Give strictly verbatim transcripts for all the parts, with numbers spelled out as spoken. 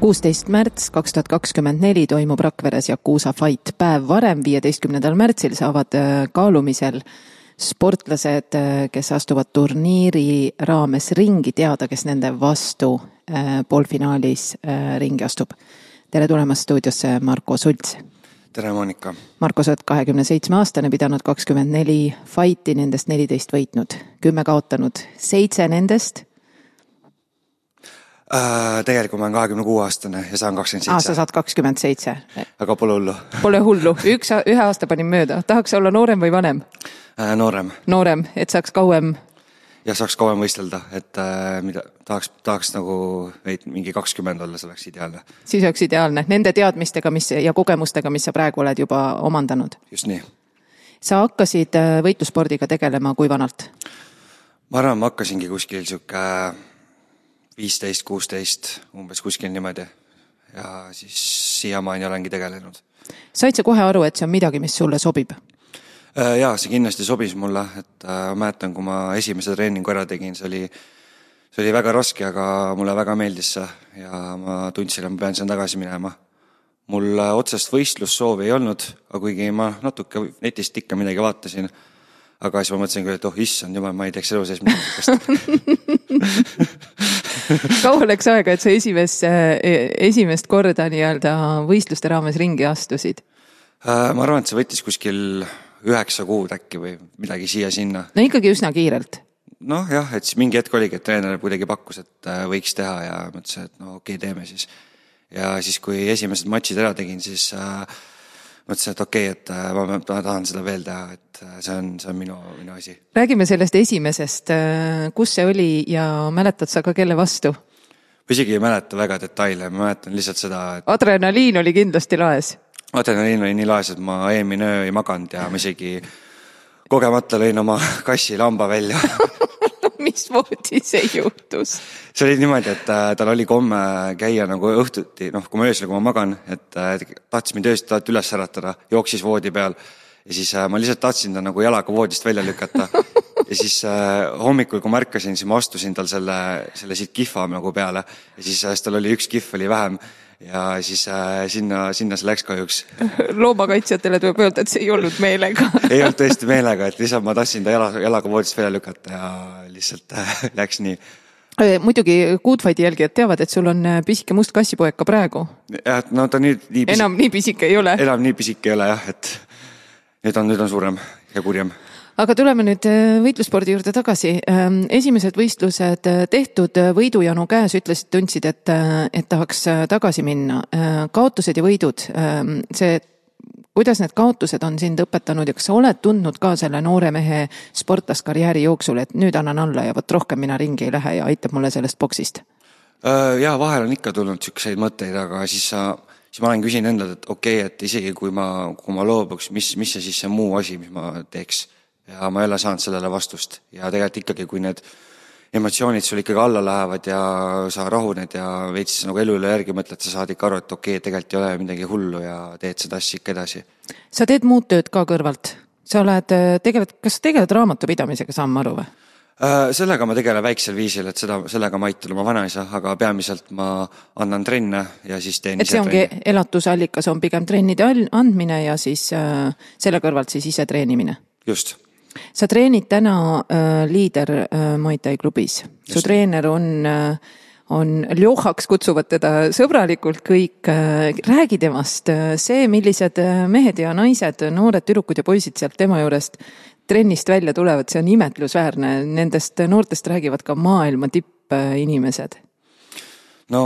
kuusteist märts kaks tuhat kakskümmend neli toimub Rakveres Yakuza Fight. Päev varem, viieteistkümnendal märtsil saavad kaalumisel sportlased, kes astuvad turniiri raames ringi, teada, kes nende vastu poolfinaalis ringi astub. Tere tulemast stuudiosse Marko Sults. Tere Monika. Marko, sa oled kahekümne seitsme aastane, pidanud kakskümmend neli fighti, nendest neliteist võitnud, kümme kaotanud, seitse nendest. Äh, tegelikult ma olen kahekümne kuue aastane ja saan kakskümmend seitse. Aa, sa saad kakskümmend seitse. Aga pole hullu. Pole hullu. Üks, ühe aasta panin mööda. Tahaks olla noorem või vanem? Äh, noorem. Noorem, et saaks kauem... Ja saaks kauem võistelda, et äh, mida, tahaks, tahaks nagu mingi kakskümmend olla, see oleks ideaalne. Siis oleks ideaalne. Nende teadmistega mis, ja kogemustega, mis sa praegu oled juba omandanud. Just nii. Sa hakkasid võitluspordiga tegelema kui vanalt? Ma arvan, ma hakkasingi kuskil siuke viisteist kuusteist, umbes kuskil niimoodi. Ja siis siiamaani olengi tegelenud. Said sa kohe aru, et see on midagi, mis sulle sobib? Jaa, see kindlasti sobis mulle, et ma mäletan, kui ma esimese treeningu ära tegin, see oli, see oli väga raske, aga mulle väga meeldis see ja ma tundsin, et ma pean sen tagasi minema. Mul otsest võistlussoovi ei olnud, aga kuigi ma natuke netist ikka midagi vaatasin, aga siis ma mõtlesin küll, et oh, issand jumal, ma ei teeks elu sees midagi. Kaua läks aega, et sa esimest, esimest korda nii-öelda võistluste raames ringi astusid? Ma arvan, et see võttis kuskil üheksa kuud äkki või midagi siia-sinna. No ikkagi üsna kiirelt. Noh jah, et siis mingi hetk oligi, et treener kuidagi pakkus, et võiks teha ja mõtlesin, et no okei, teeme siis. Ja siis, kui esimesed matšid ära tegin, siis äh, mõtlesin, et okei, et äh, ma, ma tahan seda veel teha, et see on, see on minu, minu asi. Räägime sellest esimesest, kus see oli ja mäletad sa ka kelle vastu? Ma isegi ei mäleta väga detaile, ma mäletan lihtsalt seda, et... Adrenaliin oli kindlasti laes. Adrenaliin oli nii laes, et ma eelmine öö ei maganud ja ma isegi kogemata lõin oma kassi lamba välja. Mis moodi see juhtus? See oli niimoodi, et tal oli komme käia nagu õhtuti, noh, kui ma öösel, kui ma magan, et tahtsin mind ööst tahet üles äratada, jooksis voodi peal ja siis ma lihtsalt tahtsin ta nagu jalaga voodist välja lükata. Ja siis hommikul, kui ma ärkasin, siis ma astusin tal selle, selle siit kihva nagu peale ja siis tal oli üks kihv oli vähem. Ja siis äh, sinna, sinna see läks kahjuks. Loomakaitsjatele tuleb öelda, et see ei olnud meelega. Ei olnud tõesti meelega, et lihtsalt ma tahtsin ta jala, jalaga voodist välja lükata ja lihtsalt äh, läks nii. Muidugi Goodfighti jälgijad teavad, et sul on pisike must kassipoeg ka praegu. Ja, no ta nüüd nii pisike, enam nii pisike ei ole. Enam nii pisike ei ole jah, et nüüd on, nüüd on suurem ja kurjem. Aga tuleme nüüd võitluspordi juurde tagasi. Esimesed võistlused tehtud, võidujanu käes ütlesid, tundsid, et, et tahaks tagasi minna. Kaotused ja võidud, see, kuidas need kaotused on sind õpetanud ja kas sa oled tundnud ka selle noore mehe sportlaskarjääri jooksul, et nüüd annan alla ja võt rohkem mina ringi ei lähe ja aitab mulle sellest boksist? Ja vahel on ikka tulnud sükseid mõtteid, aga siis, sa, siis ma olen küsin endalt, et okei, et isegi kui ma, kui ma loobuks, mis, mis see siis see muu asi, mis ma teeks? Ja ma ei ole saanud sellele vastust ja tegelikult ikkagi, kui need emotsioonid sul ikkagi alla lähevad ja sa rahuned ja veits nagu elu üle järgi mõtled, sa saad ikka aru, et okei, tegelikult ei ole midagi hullu ja teed seda asja ikka edasi. Sa teed muud tööd ka kõrvalt. Sa oled tegelikult, kas sa tegeled raamatupidamisega, saan ma aru või? Sellega ma tegelen väiksel viisil, et seda, sellega ma aitan oma vanaisa, aga peamiselt ma annan trenne ja siis teen ise trenni. Et see ongi trenni. Elatusallikas on pigem trennide andmine ja siis äh, selle kõrvalt siis ise treenimine. Just. Sa treenid täna äh, liider äh, Muay Thai klubis. Su Just. Treener on, äh, on Ljohaks, kutsuvad teda sõbralikult kõik. Äh, räägi temast. See, millised mehed ja naised, noored tüdrukud ja poisid sealt tema juurest trennist välja tulevad, see on imetlusväärne. Nendest noortest räägivad ka maailma tipp inimesed. No,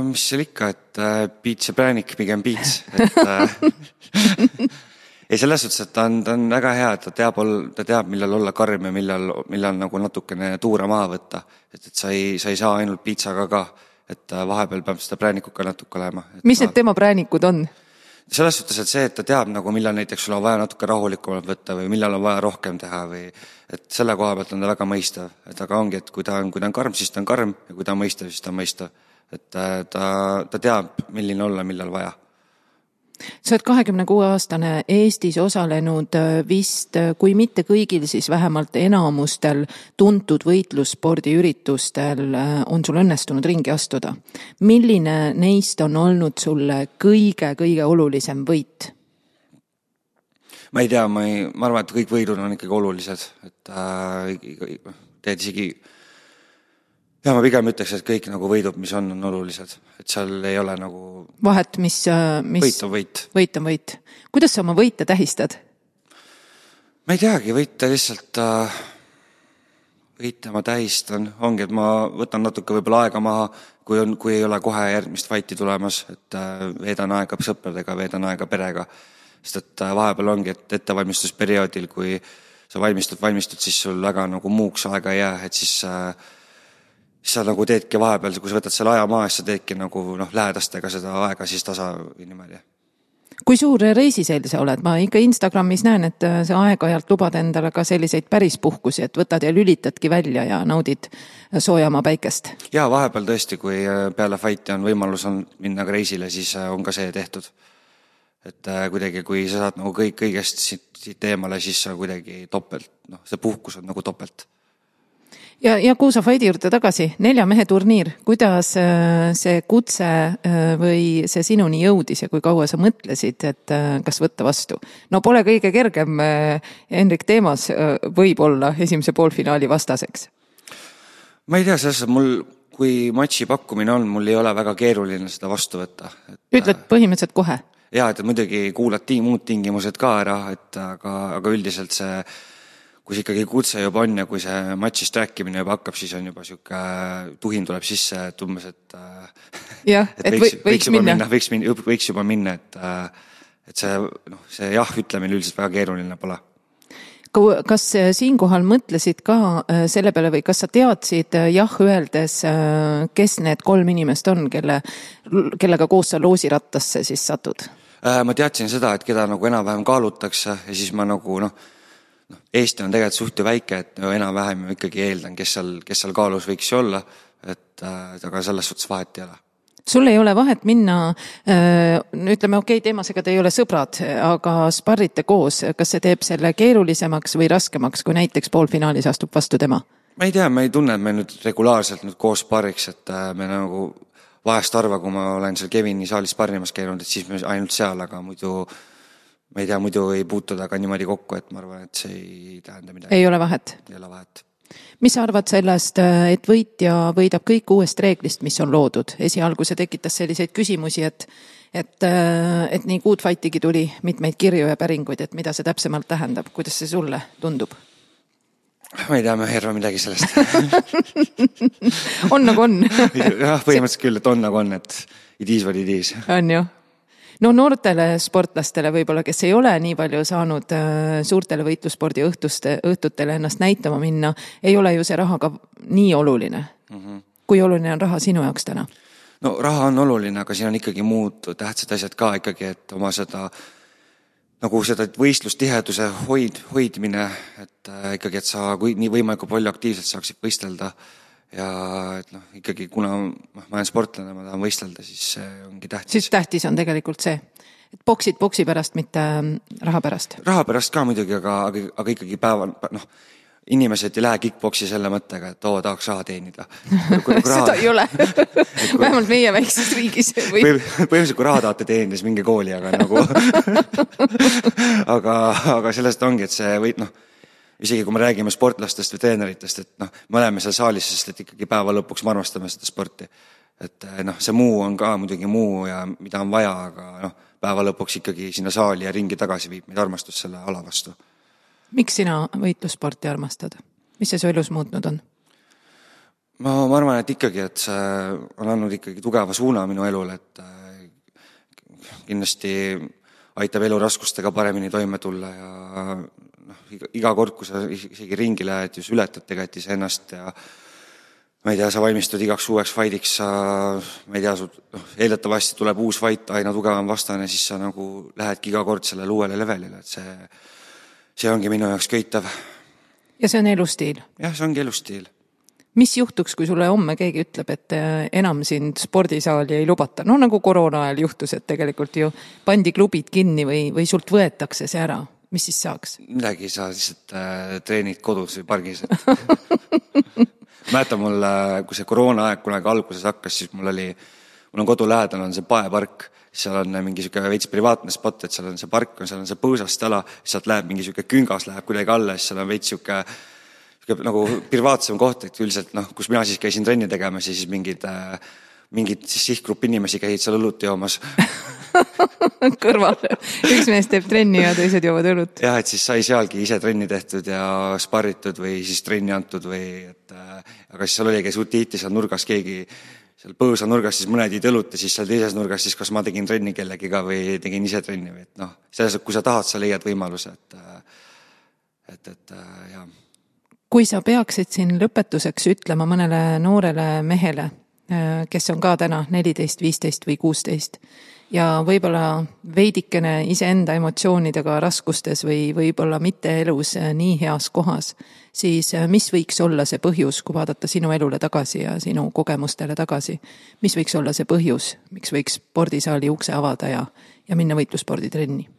mis seal ikka, et äh, piits ja präänik, pigem piits. Et... Äh, Ei selles suhtes, et ta on, ta on väga hea, et ta teab, ta teab millal olla karm ja millal, millal nagu natukene tuura maha võtta. Et, et sa, ei, sa ei saa ainult piitsaga ka, et vahepeal peab seda präänikut ka natuke olema. Mis ta... need tema präänikud on? Selles suhtes, et see, et ta teab, nagu, millal näiteks sul on vaja natuke rahulikumalt võtta või millal on vaja rohkem teha või et selle koha pealt on ta väga mõistav. Et aga ongi, et kui ta on, kui ta on karm, siis ta on karm ja kui ta on mõistav, siis ta on mõistav. Et ta, ta teab, milline olla, millal vaja. Sa oled kahekümne kuue aastane Eestis osalenud vist, kui mitte kõigil, siis vähemalt enamustel tuntud võitlusspordiüritustel on sul õnnestunud ringi astuda. Milline neist on olnud sulle kõige-kõige olulisem võit? Ma ei tea, ma, ei, ma arvan, et kõik võidud on ikkagi olulised, et äh, teed isegi ja ma pigem ütleks, et kõik nagu võidud, mis on, on olulised, et seal ei ole nagu vahet, mis, mis võit on võit. Võit on võit. Kuidas sa oma võite tähistad? Ma ei teagi, võite lihtsalt äh, võite ma tähistan, ongi, et ma võtan natuke võib-olla aega maha, kui, on, kui ei ole kohe järgmist fighti tulemas, et äh, veedan aega sõpradega, veedan aega perega, sest et äh, vahepeal ongi, et ettevalmistusperioodil, kui sa valmistud, valmistud, siis sul väga nagu muuks aega ei jää, et siis äh, siis sa nagu teedki vahepeal, kui sa võtad selle aja maha, siis sa teedki nagu noh, lähedastega seda aega siis tasa niimoodi. Kui suur reisiseel sa oled? Ma ikka Instagramis näen, et sa aeg-ajalt lubad endale ka selliseid päris puhkusi, et võtad ja lülitadki välja ja naudid soojama päikest. Ja vahepeal tõesti, kui peale fighti on võimalus on minna ka reisile, siis on ka see tehtud. Et kuidagi, kui sa saad nagu kõik kõigest siit, siit eemale, siis sa kuidagi topelt, noh, see puhkus on nagu topelt. Ja, ja Kuusa Fighti juurde tagasi, nelja mehe turniir, kuidas see kutse või see sinuni jõudis ja kui kaua sa mõtlesid, et kas võtta vastu? No pole kõige kergem Henrik Teemas võib olla esimese poolfinaali vastaseks. Ma ei tea, selles mul, kui matši pakkumine on, mul ei ole väga keeruline seda vastu võtta. Et, ütled põhimõtteliselt kohe? Jaa, et muidugi kuulad tiim, muud tingimused ka ära, et aga, aga üldiselt see kui see ikkagi kutse juba on ja kui see matšist rääkimine juba hakkab, siis on juba siuke tuhin tuleb sisse, et umbes, et, ja, et, et võiks, võiks minna. minna võiks, minna, võiks juba minna, et, et see, noh, see jah ütlemine üldiselt väga keeruline pole. Kas siinkohal mõtlesid ka selle peale või kas sa teadsid jah öeldes, kes need kolm inimest on, kelle, kellega koos sa loosirattasse siis satud? Ma teadsin seda, et keda nagu enam-vähem kaalutakse ja siis ma nagu noh, No, Eesti on tegelikult suht ju väike, et no, enam-vähem ju ikkagi eeldan, kes seal, kes seal kaalus võiks olla, et äh, aga selles suhtes vahet ei ole. Sul ei ole vahet minna, äh, ütleme okei, okay, teemasega te ei ole sõbrad, aga sparrite koos, kas see teeb selle keerulisemaks või raskemaks, kui näiteks poolfinaalis astub vastu tema? Ma ei tea, ma ei tunne, et me nüüd regulaarselt nüüd koos sparriks, et äh, me nagu vahest arva, kui ma olen seal Kevini saalis sparrimas käinud, et siis me ainult seal, aga muidu ma ei tea, muidu ei puutuda ka niimoodi kokku, et ma arvan, et see ei tähenda midagi. Ei ole vahet? Ei ole vahet. Mis sa arvad sellest, et võitja võidab kõik uuest reeglist, mis on loodud? Esialgu see tekitas selliseid küsimusi, et, et, et nii Good Fightigi tuli mitmeid kirju ja päringuid, et mida see täpsemalt tähendab, kuidas see sulle tundub? Ma ei tea, ma ei arva midagi sellest. On nagu on. Jah, põhimõtteliselt küll, et on nagu on, et it is what it is. On ju. No noortele sportlastele võib-olla, kes ei ole nii palju saanud suurtele võitlusspordi õhtuste, õhtutele ennast näitama minna, ei ole ju see raha ka nii oluline. Mm-hmm. Kui oluline on raha sinu jaoks täna? No raha on oluline, aga siin on ikkagi muud tähtsad asjad ka ikkagi, et oma seda nagu seda võistlustiheduse hoid, hoidmine, et ikkagi, et sa kui nii võimalikult palju aktiivselt saaksid võistelda ja et noh, ikkagi kuna ma olen sportlane, ma tahan võistelda, siis see ongi tähtis. Siis tähtis on tegelikult see, et boksid boksi pärast, mitte raha pärast. Raha pärast ka muidugi, aga, aga, aga ikkagi päeval, noh, inimesed ei lähe kickboksi selle mõttega, et oo, tahaks raha teenida. Kui, kui raha... Seda ei ole. Kui... Vähemalt meie väikses riigis. Või... Põhimõtteliselt, kui raha tahate teenida, siis minge kooli, aga nagu... aga, aga sellest ongi, et see võid, noh, isegi kui me räägime sportlastest või treeneritest, et noh, me oleme seal saalis, sest et ikkagi päeva lõpuks me armastame seda sporti. Et noh, see muu on ka muidugi muu ja mida on vaja, aga noh, päeva lõpuks ikkagi sinna saali ja ringi tagasi viib meid armastus selle ala vastu. Miks sina võitlussporti armastad? Mis see su elus muutnud on? Ma, ma arvan, et ikkagi, et see on andnud ikkagi tugeva suuna minu elule, et kindlasti aitab elu raskustega paremini toime tulla ja noh, iga kord, kui sa isegi ringi lähed, just ületad tegelikult ise ennast ja ma ei tea, sa valmistud igaks uueks fightiks, sa, ma ei tea, noh, eeldatavasti tuleb uus fight, aina tugevam vastane, siis sa nagu lähedki iga kord sellele uuele levelile, et see, see ongi minu jaoks köitav. Ja see on elustiil? Jah, see ongi elustiil. mis juhtuks, kui sulle homme keegi ütleb, et enam sind spordisaali ei lubata? No nagu koroona ajal juhtus, et tegelikult ju pandi klubid kinni või, või sult võetakse see ära. Mis siis saaks? Midagi sa lihtsalt äh, treenid kodus või pargis. Mäletan mul, kui see koroona aeg kunagi alguses hakkas, siis mul oli, mul on kodu lähedal on see paepark, seal on mingi siuke veits privaatne spot, et seal on see park, seal on see põõsast ala, sealt läheb mingi siuke küngas läheb kuidagi alla, siis seal on veits siuke nagu privaatsem koht, et üldiselt, noh, kus mina siis käisin trenni tegemas ja siis mingid, mingid siis sihtgrupp inimesi käid seal õlut joomas. Kõrval. Üks mees teeb trenni ja teised joovad õlut. Jah, et siis sai sealgi ise trenni tehtud ja sparritud või siis trenni antud või, et aga siis seal oli, kes utiiti seal nurgas keegi, seal põõsa nurgas siis mõned iid õlut ja siis seal teises nurgas siis kas ma tegin trenni kellegiga või tegin ise trenni või, et noh, selles, kui sa tahad, sa leiad võimaluse, et, et, et jah. Kui sa peaksid siin lõpetuseks ütlema mõnele noorele mehele, kes on ka täna neliteist, viisteist või kuusteist ja võib-olla veidikene iseenda emotsioonidega raskustes või võib-olla mitte elus nii heas kohas, siis mis võiks olla see põhjus, kui vaadata sinu elule tagasi ja sinu kogemustele tagasi? Mis võiks olla see põhjus, miks võiks spordisaali ukse avada ja, ja minna võitlussporditrenni?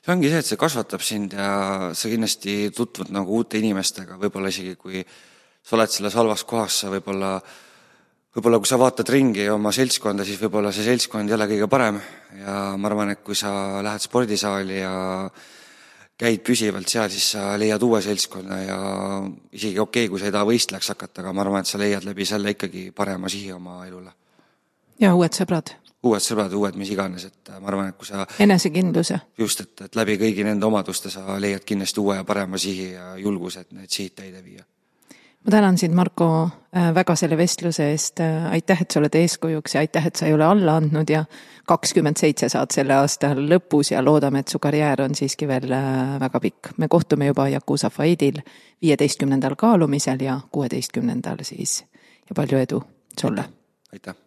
See ongi see, et see kasvatab sind ja sa kindlasti tutvud nagu uute inimestega, võib-olla isegi kui sa oled selles halvas kohas, sa võib-olla, võib-olla kui sa vaatad ringi oma seltskonda, siis võib-olla see seltskond ei ole kõige parem ja ma arvan, et kui sa lähed spordisaali ja käid püsivalt seal, siis sa leiad uue seltskonna ja isegi okei, kui sa ei taha võistlejaks hakata, aga ma arvan, et sa leiad läbi selle ikkagi parema sihi oma elule. Ja uued sõbrad. Uued sõbrad, uued mis iganes, et ma arvan, et kui sa enesekindluse. Just, et, et läbi kõigi nende omaduste sa leiad kindlasti uue ja parema sihi ja julguse, et need sihid täide viia. Ma tänan sind, Marko, väga selle vestluse eest. Aitäh, et sa oled eeskujuks ja aitäh, et sa ei ole alla andnud ja kakskümmend seitse saad selle aasta lõpus ja loodame, et su karjäär on siiski veel väga pikk. Me kohtume juba Jakuza Faidil viieteistkümnendal kaalumisel ja kuueteistkümnendal siis ja palju edu sulle. Aitäh.